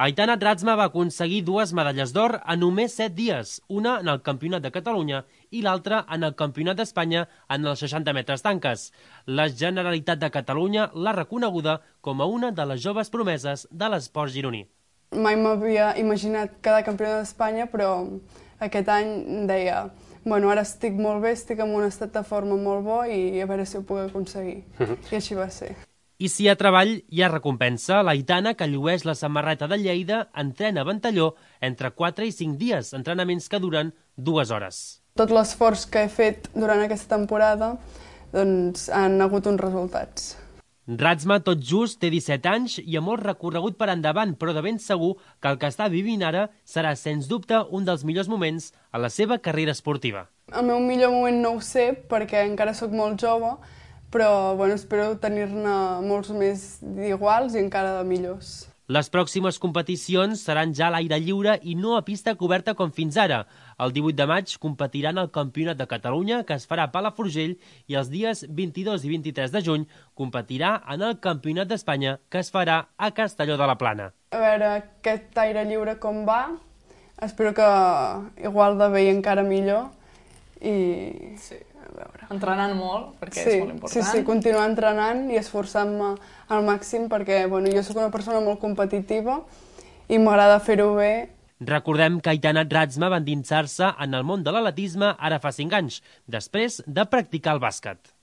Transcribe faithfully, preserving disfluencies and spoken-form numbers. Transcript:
Aitana Ratzma va aconseguir dues medalles d'or en només set dies, una en el Campionat de Catalunya i l'altra en el Campionat d'Espanya en els seixanta metres tanques. La Generalitat de Catalunya l'ha reconeguda com a una de les joves promeses de l'esport gironí. Mai m'havia imaginat quedar campiona d'Espanya, però aquest any deia bueno, ara estic molt bé, estic en un estat de forma molt bo i a veure si ho puc aconseguir. I així va ser. I si hi ha treball, hi ha recompensa. L'Aitana, que llueix la samarreta de Lleida, entrena a Ventalló entre quatre i cinc dies, entrenaments que duren dues hores. Tot l'esforç que he fet durant aquesta temporada doncs, han hagut uns resultats. Ratzma tot just té disset anys i ha molt recorregut per endavant, però de ben segur que el que està vivint ara serà, sens dubte, un dels millors moments a la seva carrera esportiva. El meu millor moment no ho sé, perquè encara sóc molt jove, però bueno, espero tenir-ne molts més d'iguals i encara de millors. Les pròximes competicions seran ja a l'aire lliure i no a pista coberta com fins ara. El divuit de maig competiran al Campionat de Catalunya, que es farà a Palafrugell, i els dies vint-i-dos i vint-i-tres de juny competirà en el Campionat d'Espanya, que es farà a Castelló de la Plana. A veure aquest aire lliure com va, espero que igual de bé i encara millor. I... Sí. Entrenant molt, perquè sí, és molt important. Sí, sí, continuar entrenant i esforçant-me al màxim perquè bueno, jo sóc una persona molt competitiva i m'agrada fer-ho bé. Recordem que Aitana Ratzma va endinsar-se en el món de l'atletisme ara fa cinc anys, després de practicar el bàsquet.